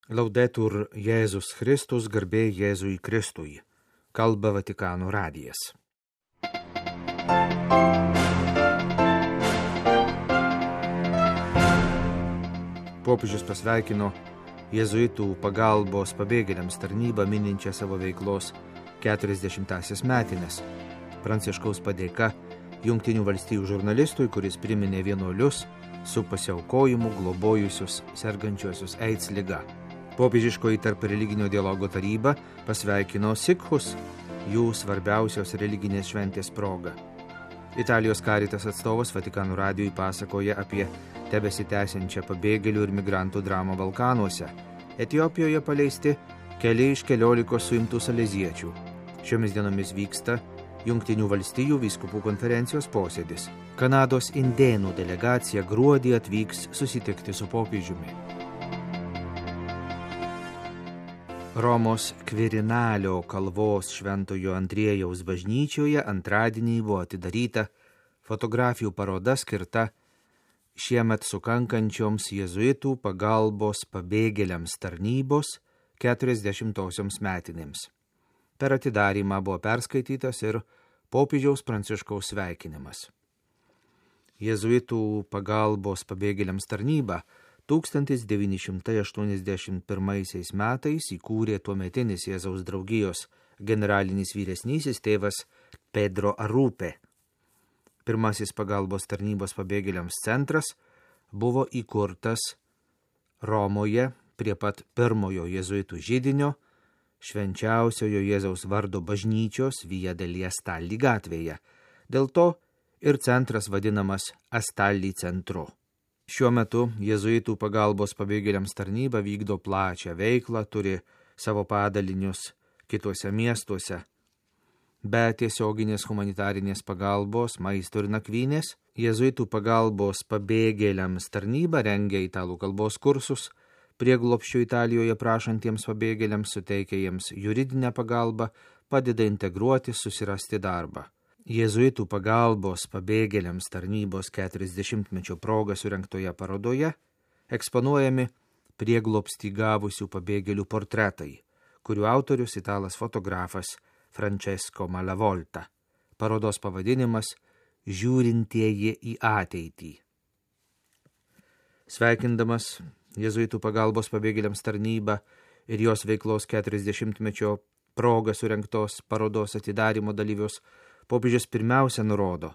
Laudetur Jėzus Kristus, garbė Jėzui Kristui. Kalba Vatikano radijas. Popiežius pasveikino jėzuitų pagalbos pabėgėliams tarnybą mininčią savo veiklos 40-asias metines. Pranciškaus padėka Jungtinių valstijų žurnalistui, kuris priminė vienuolius su pasiaukojimu globojusius sergančiuosius AIDS liga. Popiežiškoji tarp religinio dialogo taryba pasveikino sikhus jų svarbiausios religinės šventės proga. Italijos Caritas atstovas Vatikano radijui pasakoja apie tebesitęsiančią pabėgėlių ir migrantų dramą Balkanuose. Etiopijoje paleisti keli iš 14 suimtų saleziečių. Šiomis dienomis vyksta Jungtinių valstijų vyskupų konferencijos posėdis. Kanados indėnų delegacija gruodį atvyks susitikti su popiežiumi. Romos Kvirinalio kalvos Šventojo Andriejaus bažnyčioje antradienį buvo atidaryta fotografijų paroda skirta šiemet sukankančioms jėzuitų pagalbos pabėgėliams tarnybos 40-osioms metinėms. Per atidarymą buvo perskaitytas ir popiežiaus Pranciškaus sveikinimas. Jėzuitų pagalbos pabėgėliams tarnyba 1981 metais įkūrė tuometinis Jėzaus draugijos generalinis vyresnysis tėvas Pedro Arrupe. Pirmasis pagalbos tarnybos pabėgėliams centras buvo įkurtas Romoje prie pat pirmojo jėzuitų židinio Švenčiausiojo Jėzaus vardo bažnyčios Via degli Astalli gatvėje. Dėl to ir centras vadinamas Astalli centru. Šiuo metu jėzuitų pagalbos pabėgėliams tarnyba vykdo plačią veiklą, turi savo padalinius kituose miestuose. Be tiesioginės humanitarinės pagalbos, maisto ir nakvynės, jėzuitų pagalbos pabėgėliams tarnyba rengia italų kalbos kursus, prieglobsčio Italijoje prašantiems pabėgėliams suteikia jiems juridinę pagalbą, padeda integruoti, susirasti darbą. Jėzuitų pagalbos pabėgėliams tarnybos 40-mečio proga surengtoje parodoje eksponuojami prieglobstį gavusių pabėgėlių portretai, kurių autorius italas fotografas Francesco Malavolta. Parodos pavadinimas Žiūrintieji į ateitį. Sveikindamas jėzuitų pagalbos pabėgėliams tarnybą ir jos veiklos 40-mečio proga surengtos parodos atidarymo dalyvius, popiežius pirmiausia nurodo,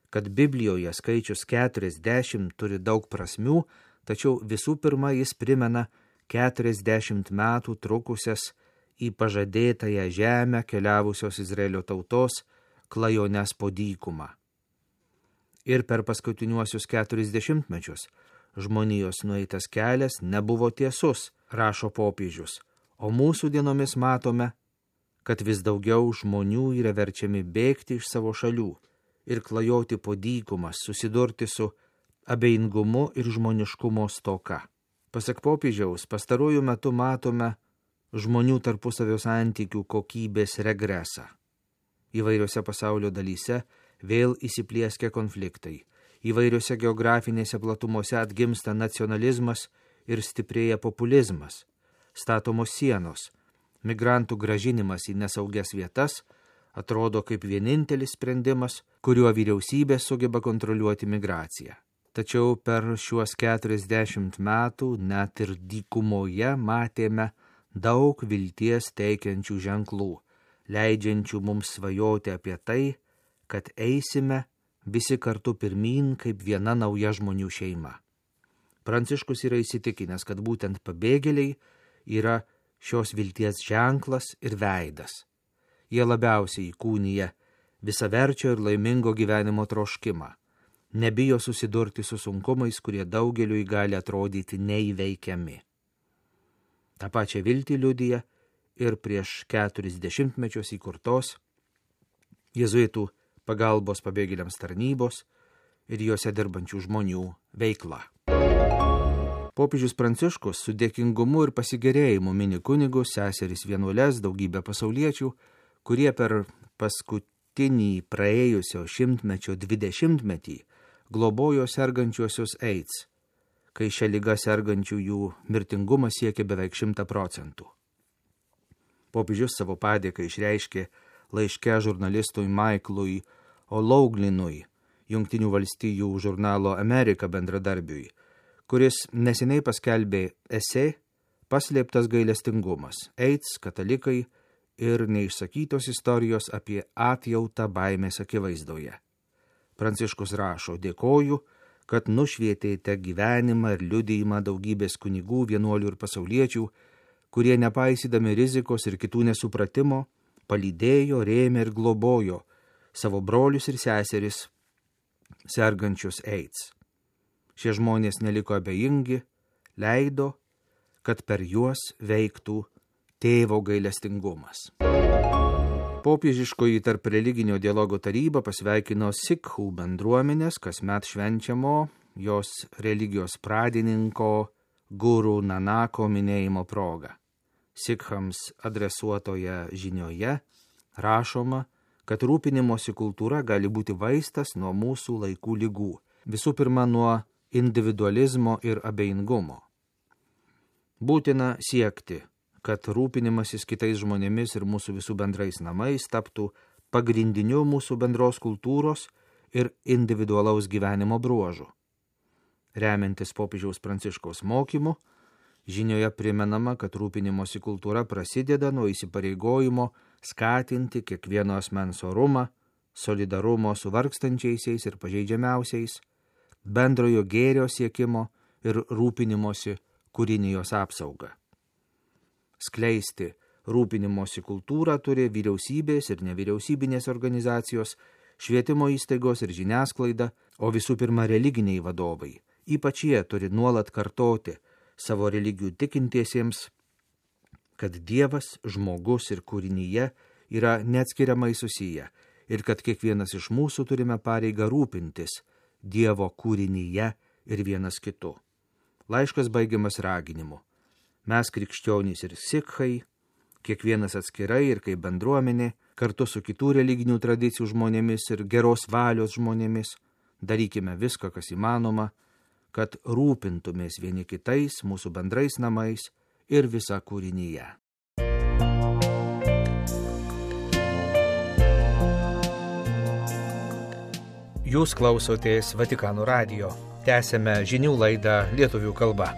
kad Biblijoje skaičius 40 turi daug prasmių, tačiau visų pirma jis primena 40 metų trukusias į pažadėtąją žemę keliavusios Izraelio tautos klajones po dykumą. Ir per paskutiniuosius 40 mečius žmonijos nueitas kelias nebuvo tiesus, rašo popiežius, o mūsų dienomis matome, kad vis daugiau žmonių yra verčiami bėgti iš savo šalių ir klajoti po dykumas, susidurti su abejingumu ir žmoniškumo stoka. Pasak popiežiaus, pastaruoju metu matome žmonių tarpusavio santykių kokybės regresą. Įvairiose pasaulio dalyse vėl įsiplieskia konfliktai, įvairiose geografinėse platumose atgimsta nacionalizmas ir stiprėja populizmas, statomos sienos. Migrantų grąžinimas į nesaugias vietas atrodo kaip vienintelis sprendimas, kuriuo vyriausybė sugeba kontroliuoti migraciją. Tačiau per šiuos 40 metų net ir dykumoje matėme daug vilties teikiančių ženklų, leidžiančių mums svajoti apie tai, kad eisime visi kartu pirmyn kaip viena nauja žmonių šeima. Pranciškus yra įsitikinęs, kad būtent pabėgėliai yra šios vilties ženklas ir veidas. Jie labiausiai įkūnija visaverčio ir laimingo gyvenimo troškimą. Nebijo susidurti su sunkumais, kurie daugeliui gali atrodyti neįveikiami. Ta pačia viltį liudija ir prieš 40 mečius įkurtos jėzuitų pagalbos pabėgėliams tarnybos ir juose dirbančių žmonių veikla. Popiežius Pranciškus su dėkingumu ir pasigėrėjimu mini kunigus, seseris vienuoles, daugybę pasauliečių, kurie per paskutinį praėjusio šimtmečio 20-metį globojo sergančiuosius AIDS, kai šią ligą sergančiųjų mirtingumas siekia beveik 100%. Popiežius savo padėką išreiškė laiške žurnalistui Michaelui O'Loughlinui, Jungtinių valstijų žurnalo Amerika bendradarbiui, kuris neseniai paskelbė esė Paslėptas gailestingumas, AIDS, katalikai ir neišsakytos istorijos apie atjautą baimės akivaizdoje. Pranciškus rašo: dėkoju, kad nušvietėte gyvenimą ir liudijimą daugybės kunigų, vienuolių ir pasauliečių, kurie nepaisydami rizikos ir kitų nesupratimo, palydėjo, rėmė ir globojo savo brolius ir seseris sergančius AIDS. Šie žmonės neliko abejingi, leido, kad per juos veiktų tėvo gailestingumas. Popiežiškoji tarp religinio dialogo taryba pasveikino sikhų bendruomenės kasmet švenčiamo jos religijos pradininko Guru Nanako minėjimo proga. Sikhams adresuotoje žinioje rašoma, kad rūpinimosi kultūra gali būti vaistas nuo mūsų laikų ligų, visų pirma nuo individualizmo ir abejingumo. Būtina siekti, kad rūpinimasis kitais žmonėmis ir mūsų visų bendrais namais taptų pagrindiniu mūsų bendros kultūros ir individualaus gyvenimo bruožu. Remiantis popiežiaus Pranciškaus mokymu, žinioje primenama, kad rūpinimosi kultūra prasideda nuo įsipareigojimo skatinti kiekvieno asmens orumą, solidarumo su vargstančiaisiais ir pažeidžiamiausiais, bendrojo gėrio siekimo ir rūpinimosi kūrinijos apsaugą. Skleisti rūpinimosi kultūrą turi vyriausybės ir nevyriausybinės organizacijos, švietimo įstaigos ir žiniasklaida, o visų pirma religiniai vadovai. Ypač jie turi nuolat kartoti savo religijų tikintiesiems, kad Dievas, žmogus ir kūrinyje yra neatskiriamai susiję ir kad kiekvienas iš mūsų turime pareigą rūpintis Dievo kūrinyje ir vienas kitu. Laiškas baigiamas raginimu. Mes krikščionys ir sikhai, kiekvienas atskirai ir kaip bendruomenė, kartu su kitų religinių tradicijų žmonėmis ir geros valios žmonėmis, darykime viską, kas įmanoma, kad rūpintumės vieni kitais, mūsų bendrais namais ir visa kūrinyje. Jūs klausotės Vatikano radijo. Tęsėme žinių laidą lietuvių kalba.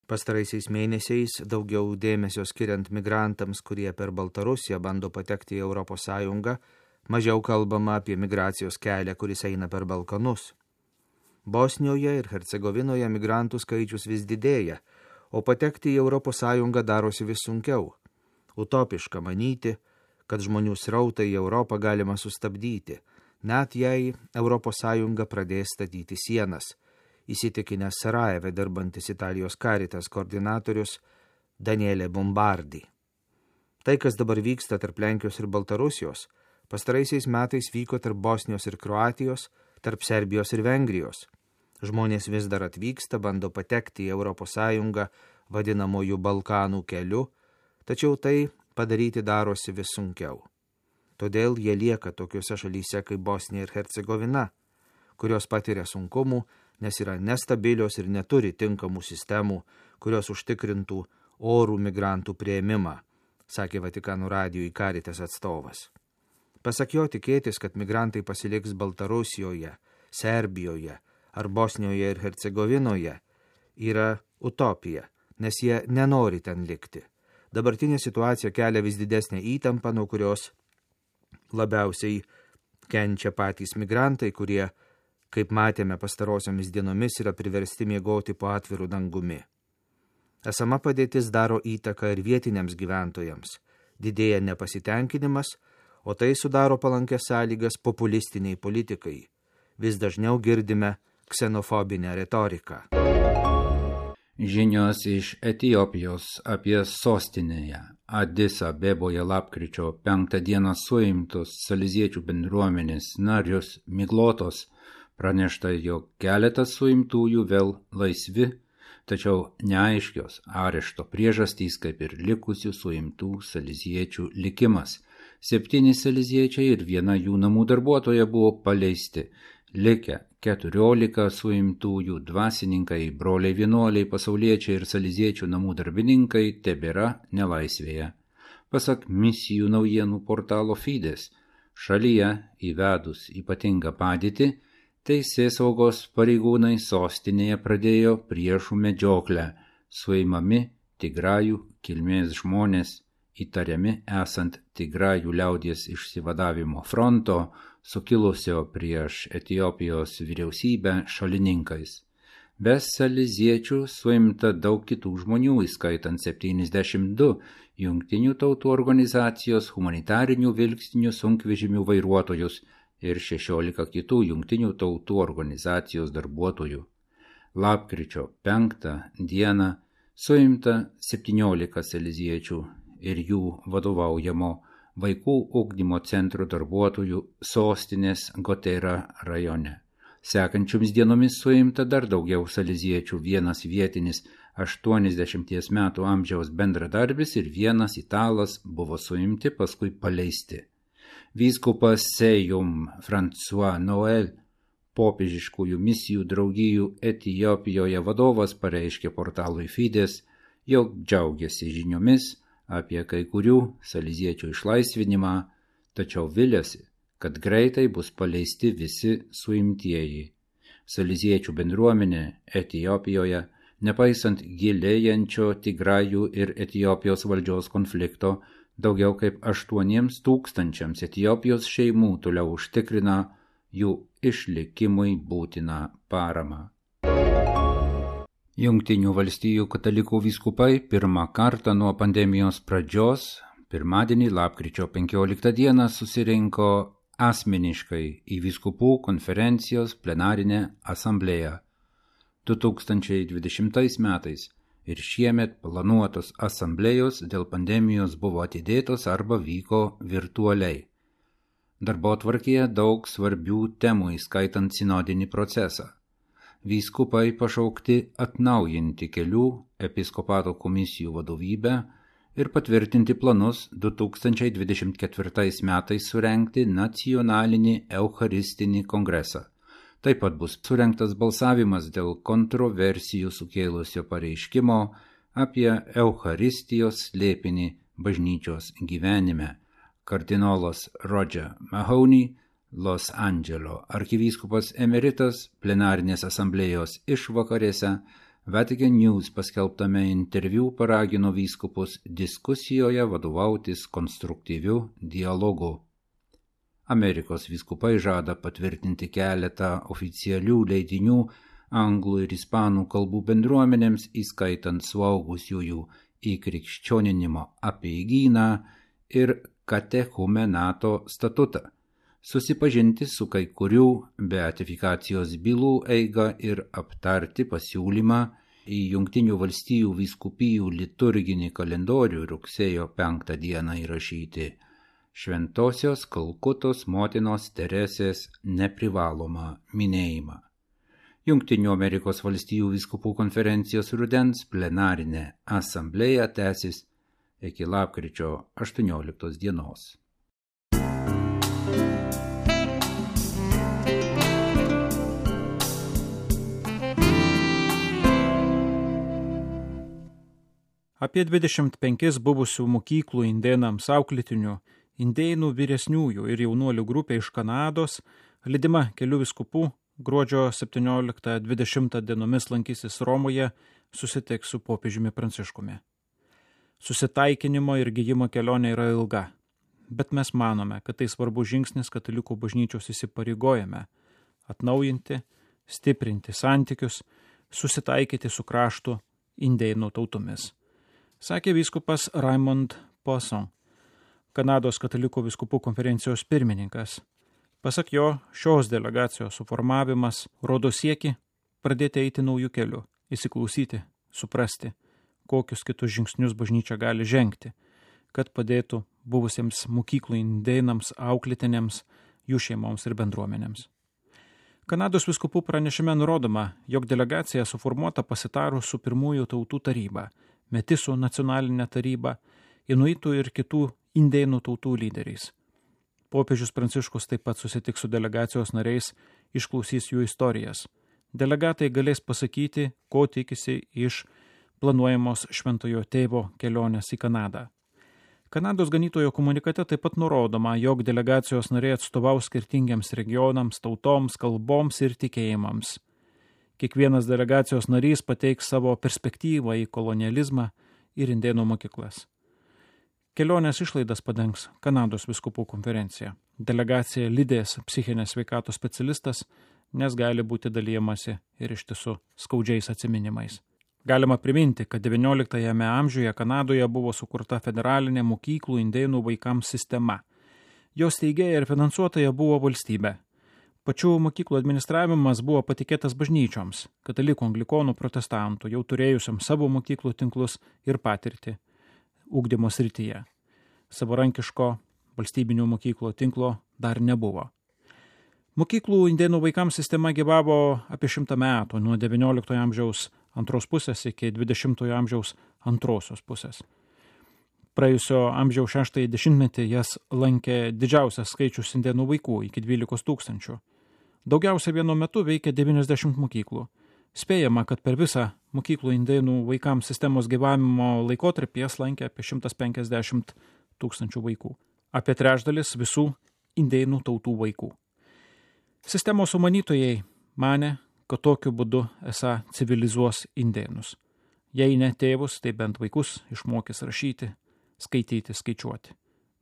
Pastaraisiais mėnesiais daugiau dėmesio skiriant migrantams, kurie per Baltarusiją bando patekti į ES, mažiau kalbama apie migracijos kelią, kuris eina per Balkanus. Bosnijoje ir Hercegovinoje migrantų skaičius vis didėja, o patekti į ES darosi vis sunkiau. Utopiška manyti, kad žmonių srautą į Europą galima sustabdyti, net jei ES pradės statyti sienas, įsitikinęs Sarajeve dirbantis Italijos Caritas koordinatorius Daniele Bombardi. Tai, kas dabar vyksta tarp Lenkijos ir Baltarusijos, pastaraisiais metais vyko tarp Bosnijos ir Kroatijos, tarp Serbijos ir Vengrijos. Žmonės vis dar atvyksta, bando patekti į ES vadinamojų Balkanų keliu, tačiau tai padaryti darosi vis sunkiau. Todėl jie lieka tokiuose šalyse kaip Bosnija ir Hercegovina, kurios patiria sunkumų, nes yra nestabilios ir neturi tinkamų sistemų, kurios užtikrintų orų migrantų priėmimą, sakė Vatikano radijui Caritas atstovas. Pasak jo, tikėtis, kad migrantai pasiliks Baltarusijoje, Serbijoje ar Bosnijoje ir Hercegovinoje yra utopija, nes jie nenori ten likti. Dabartinė situacija kelia vis didesnę įtampą, nuo kurios labiausiai kenčia patys migrantai, kurie, kaip matėme pastarosiomis dienomis, yra priversti miegoti po atviru dangumi. Esama padėtis daro įtaką ir vietiniams gyventojams, didėja nepasitenkinimas, o tai sudaro palankės sąlygas populistiniai politikai. Vis dažniau girdime ksenofobinę retoriką. Žinios iš Etiopijos apie sostinėje Adis Abeboje lapkričio 5 dieną suimtus saleziečių bendruomenės narius miglotos. Pranešta, jog keletas suimtųjų vėl laisvi, tačiau neaiškios arešto priežastys, kaip ir likusių suimtų saleziečių likimas. 7 saleziečiai ir 1 jų namų darbuotoja buvo paleisti. Likę 14 suimtųjų dvasininkai, broliai vienuoliai, pasauliečiai ir saleziečių namų darbininkai tebėra nelaisvėje. Pasak misijų naujienų portalo Fides, šalyje įvedus ypatingą padėtį, teisėsaugos pareigūnai sostinėje pradėjo priešų medžioklę, suimami Tigrajų kilmės žmonės, įtariami esant Tigrajų liaudies išsivadavimo fronto, sukilusio prieš Etiopijos vyriausybę šalininkais. Be saleziečių suimta daug kitų žmonių, įskaitant 72 Jungtinių tautų organizacijos humanitarinių vilkstinių sunkvežimių vairuotojus ir 16 kitų Jungtinių tautų organizacijos darbuotojų. Lapkričio 5 dieną suimta 17 saleziečių ir jų vadovaujamo vaikų ugdymo centro darbuotojų sostinės Gotera rajone. Sekančiomis dienomis suimta dar daugiau saleziečių, 1 vietinis 80 metų amžiaus bendradarbis ir 1 italas buvo suimti, paskui paleisti. Vyskupas Sejum François Noël, popiežiškųjų misijų draugijų Etiopijoje vadovas, pareiškė portalui Fides, jog džiaugiasi žiniomis apie kai kurių saleziečių išlaisvinimą, tačiau viliasi, kad greitai bus paleisti visi suimtieji. Saleziečių bendruomenė Etiopijoje, nepaisant gilėjančio Tigrajų ir Etiopijos valdžios konflikto, daugiau kaip 8 000 Etiopijos šeimų toliau užtikrina jų išlikimui būtiną paramą. Jungtinių valstijų katalikų vyskupai pirmą kartą nuo pandemijos pradžios, pirmadienį lapkričio 15 dieną susirinko asmeniškai į vyskupų konferencijos plenarinę asamblėją. 2020 metais ir šiemet planuotos asamblėjos dėl pandemijos buvo atidėtos arba vyko virtualiai. Darbotvarkėje daug svarbių temų, įskaitant sinodinį procesą. Vyskupai pašaukti atnaujinti kelių episkopato komisijų vadovybę ir patvirtinti planus 2024 metais surengti nacionalinį eucharistinį kongresą. Taip pat bus surengtas balsavimas dėl kontroversijų sukėlusio pareiškimo apie Eucharistijos slėpinį bažnyčios gyvenime. Kardinolas Roger Mahoney, Los Andželo arkivyskupas emeritas, plenarinės asamblėjos išvakarėse Vatican News paskelbtame interviu paragino vyskupus diskusijoje vadovautis konstruktyviu dialogu. Amerikos vyskupai žada patvirtinti keletą oficialių leidinių anglų ir ispanų kalbų bendruomenėms, įskaitant suaugusiųjų įkrikščioninimo apeigyną ir katechumenato statutą, susipažinti su kai kurių beatifikacijos bylų eigą ir aptarti pasiūlymą į Jungtinių valstijų vyskupijų liturginį kalendorių rugsėjo 5 dieną įrašyti Šventosios Kalkutos motinos Teresės neprivalomą minėjimą. Jungtinių Amerikos valstijų vyskupų konferencijos rudens plenarinė asamblėja tęsis iki lapkričio 18 dienos. Apie 25 buvusių mokyklų indėnams auklėtinių, indėnų vyresniųjų ir jaunuolių grupė iš Kanados, lydima kelių vyskupų, gruodžio 17-20 dienomis lankysis Romoje, susitiks su popiežiumi Pranciškumi. Susitaikinimo ir gijimo kelionė yra ilga, bet mes manome, kad tai svarbus žingsnis katalikų bažnyčios įsipareigojame atnaujinti, stiprinti santykius, susitaikyti su kraštu indėnų tautomis, sakė vyskupas Raymond Poisson, Kanados katalikų vyskupų konferencijos pirmininkas. Pasak jo, šios delegacijos suformavimas rodo siekį pradėti eiti naujų kelių, įsiklausyti, suprasti, kokius kitus žingsnius bažnyčia gali žengti, kad padėtų buvusiems mokyklų indėnams, auklėtiniams, jų šeimoms ir bendruomenėms. Kanados vyskupų pranešime nurodoma, jog delegacija suformuota pasitarus su pirmųjų tautų taryba, Metisų nacionalinė taryba, Inuitų ir kitų indėnų tautų lyderiais. Popiežius Pranciškus taip pat susitiks su delegacijos nariais, išklausys jų istorijas. Delegatai galės pasakyti, ko tikisi iš planuojamos Šventojo Tėvo kelionės į Kanadą. Kanados ganytojo komunikate taip pat nurodoma, jog delegacijos nariai atstovaus skirtingiams regionams, tautoms, kalboms ir tikėjimams. Kiekvienas delegacijos narys pateiks savo perspektyvą į kolonializmą ir indėnų mokyklas. Kelionės išlaidas padengs Kanados vyskupų konferencija. Delegacija lydės psichinės sveikatos specialistas, nes gali būti dalyjamasi ir iš tiesų skaudžiais atsiminimais. Galima priminti, kad XIX amžiuje Kanadoje buvo sukurta federalinė mokyklų indėnų vaikams sistema. Jos steigėja ir finansuotoja buvo valstybė. Pačių mokyklų administravimas buvo patikėtas bažnyčioms, katalikų, anglikonų, protestantų, jau turėjusiam savo mokyklų tinklus ir patirtį ugdymo srityje. Savarankiško valstybinių mokyklų tinklo dar nebuvo. Mokyklų indėnų vaikams sistema gyvavo apie 100 metų, nuo XIX amžiaus antros pusės iki XX amžiaus antrosios pusės. Praėjusio amžiaus 6 dešimtmetį jas lankė didžiausias skaičius indėnų vaikų iki 12 000. Daugiausia vienu metu veikė 90 mokyklų. Spėjama, kad per visą mokyklų indėnų vaikams sistemos gyvavimo laikotarpį jas lankė apie 150 000 vaikų. Apie trečdalis visų indėnų tautų vaikų. Sistemos sumanytojai manė, kad tokiu būdu esą civilizuos indėnus. Jei ne tėvus, tai bent vaikus išmokys rašyti, skaityti, skaičiuoti,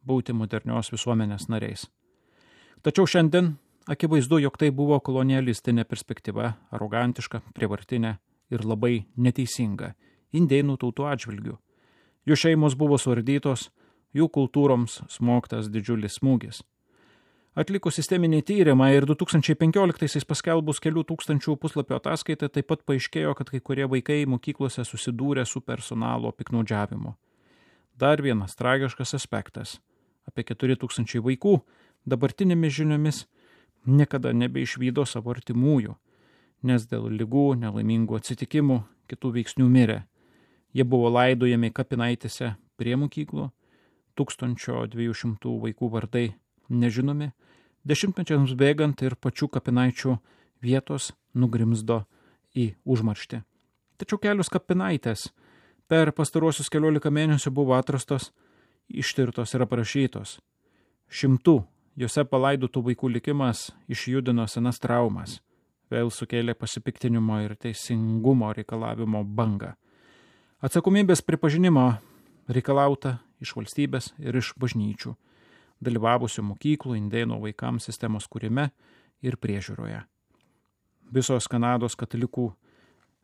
būti modernios visuomenės nariais. Tačiau šiandien akivaizdu, jog tai buvo kolonialistinė perspektyva, arogantiška, prievartinė ir labai neteisinga indėnų tautų atžvilgių. Jų šeimos buvo suardytos, jų kultūroms smogtas didžiulis smūgis. Atlikus sisteminį tyrimą ir 2015 paskelbus kelių tūkstančių puslapio ataskaitą taip pat paaiškėjo, kad kai kurie vaikai mokyklose susidūrė su personalo piktnaudžiavimu. Dar vienas tragiškas aspektas. Apie 4000 vaikų dabartinėmis žiniomis niekada nebeišvydo savo artimųjų, nes dėl ligų, nelaimingų atsitikimų, kitų veiksnių mirė. Jie buvo laidojami kapinaitėse prie mokyklų, 1200 vaikų vardai nežinomi, dešimtmečiams bėgant ir pačių kapinaičių vietos nugrimzdo į užmarštį. Tačiau kelios kapinaitės per pastaruosius 14 mėnesių buvo atrastos, ištirtos ir aprašytos. 100 juose palaidotų vaikų likimas išjudino senas traumas, vėl sukėlė pasipiktinimo ir teisingumo reikalavimo bangą. Atsakomybės pripažinimo reikalauta iš valstybės ir iš bažnyčių, dalyvavusių mokyklų indėnų vaikams sistemos kūrime ir priežiūroje. Visos Kanados katalikų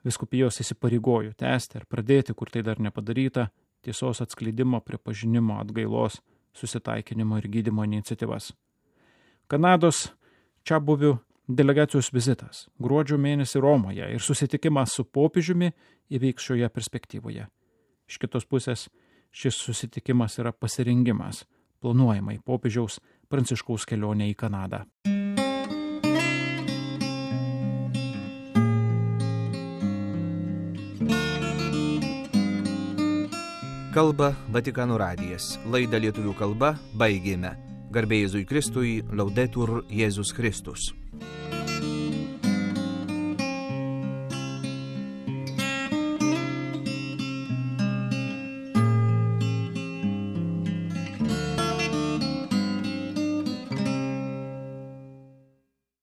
vyskupijos įsipareigojo tęsti ir pradėti, kur tai dar nepadaryta, tiesos atskleidimo, pripažinimo, atgailos, susitaikinimo ir gydymo iniciatyvas. Kanados čiabuvių delegacijos vizitas gruodžio mėnesį Romoje ir susitikimas su popiežiumi įvyks šioje perspektyvoje. Iš kitos pusės, šis susitikimas yra pasirengimas planuojamai popiežiaus Pranciškaus kelionė į Kanadą. Kalba Vatikano radijas. Laidą lietuvių kalba baigėme. Garbė Jėzui Kristui, Laudetur Jėzus Kristus.